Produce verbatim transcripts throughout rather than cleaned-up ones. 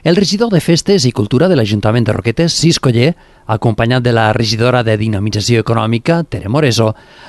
El regidor de Festes i Cultura de l'Ajuntament de Roquetes, Cisco Oller, acompanyat de la regidora de Dinamització Econòmica, Tere Moreso,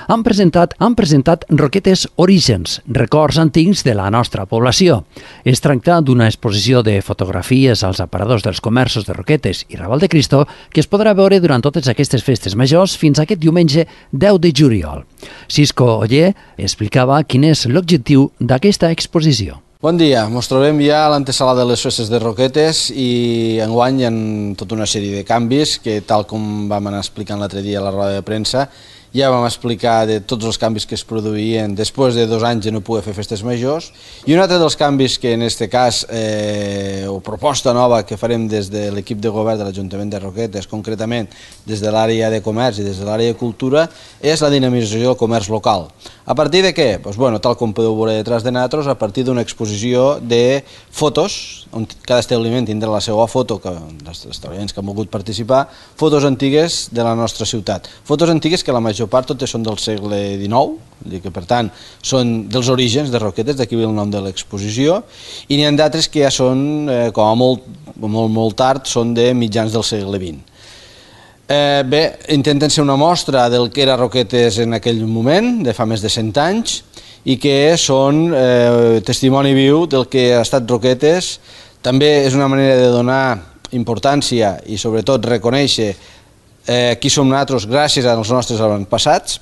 han presentat, han presentat Roquetes Orígens, records antics de la nostra població. Es tracta d'una exposició de fotografies als aparadors dels comerços de Roquetes i Raval de Cristo que es podrà veure durant totes aquestes festes majors fins aquest diumenge deu de juliol. Cisco Oller explicava quin és l'objectiu d'aquesta exposició. Bon dia, ens trobem ja a l'antesala de les festes de Roquetes i enguany hi ha tota una sèrie de canvis que, tal com vam anar explicant l'altre dia a la roda de premsa, ja vam explicar de tots els canvis que es produïen després de dos anys de no poder fer festes majors, i un altre dels canvis que en aquest cas, eh, o proposta nova que farem des de l'equip de govern de l'Ajuntament de Roquetes, concretament des de l'àrea de comerç i des de l'àrea de cultura, és la dinamització del comerç local. A partir de què? Pues bueno, tal com podeu veure detrás de nosaltres, a partir d'una exposició de fotos, on cada establiment tindrà la seva foto, que els establiments que han volgut participar, fotos antigues de la nostra ciutat. Fotos antigues que la major part totes són del segle dinou, que per tant són dels orígens de Roquetes, d'aquí ve el nom de l'exposició, i n'hi ha d'altres que ja són, eh, com a molt, molt, molt tard, són de mitjans del segle vint. Eh, bé, intenten ser una mostra del que era Roquetes en aquell moment, de fa més de cent anys, i que són eh, testimoni viu del que ha estat Roquetes. També és una manera de donar importància i sobretot reconèixer eh, qui som nosaltres gràcies als nostres avantpassats,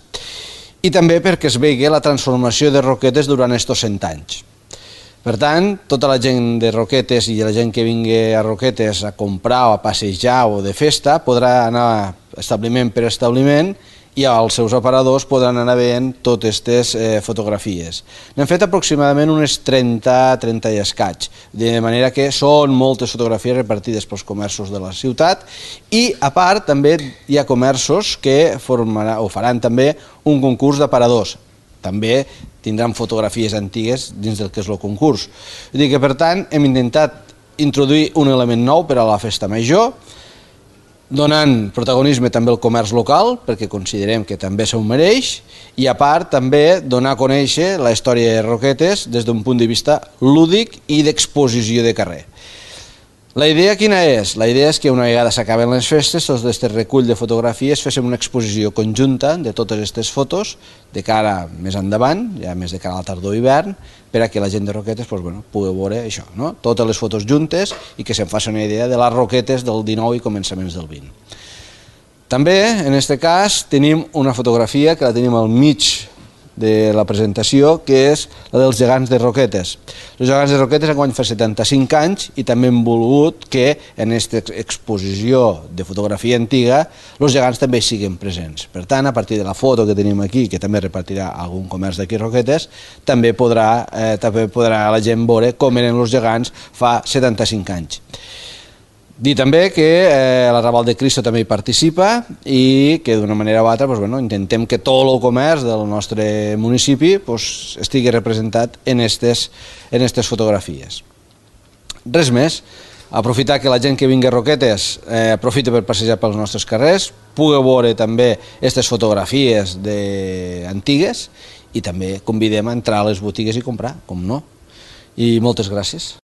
i també perquè es vegi la transformació de Roquetes durant aquests cent anys. Per tant, tota la gent de Roquetes i la gent que vingui a Roquetes a comprar o a passejar o de festa podrà anar establiment per establiment i als seus aparadors podran anar veient totes aquestes eh, fotografies. N'hem fet aproximadament unes trenta, trenta i escaig, de manera que són moltes fotografies repartides pels comerços de la ciutat, i a part també hi ha comerços que formarà, o faran també un concurs d'aparadors. També tindran fotografies antigues dins del que és el concurs. Vull dir que, per tant, hem intentat introduir un element nou per a la festa major, donant protagonisme també al comerç local, perquè considerem que també s'ho mereix, i a part també donar a conèixer la història de Roquetes des d'un punt de vista lúdic i d'exposició de carrer. La idea quina és? La idea és que una vegada s'acaben les festes, tots aquest recull de fotografies, féssim una exposició conjunta de totes aquestes fotos de cara més endavant, ja més de cara a la tardor i hivern, per a que la gent de Roquetes pues, bueno, pugui veure això, no? Totes les fotos juntes i que se'n faci una idea de les Roquetes del dinou i començaments del vint. També, en aquest cas, tenim una fotografia que la tenim al mig de la presentació, que és la dels gegants de Roquetes. Els gegants de Roquetes enguany fa setanta-cinc anys i també hem volgut que en aquesta exposició de fotografia antiga els gegants també siguin presents. Per tant, a partir de la foto que tenim aquí, que també repartirà algun comerç d'aquí Roquetes, també podrà, eh, també podrà la gent veure com eren els gegants fa setanta-cinc anys. Dir també que eh, la Raval de Cristo també hi participa i que d'una manera o altra pues, bueno, intentem que tot el comerç del nostre municipi pues, estigui representat en aquestes en aquestes fotografies. Res més, aprofitar que la gent que vingui a Roquetes eh, aprofita per passejar pels nostres carrers, pugui veure també aquestes fotografies de... antigues i també convidem a entrar a les botigues i comprar, com no. I moltes gràcies.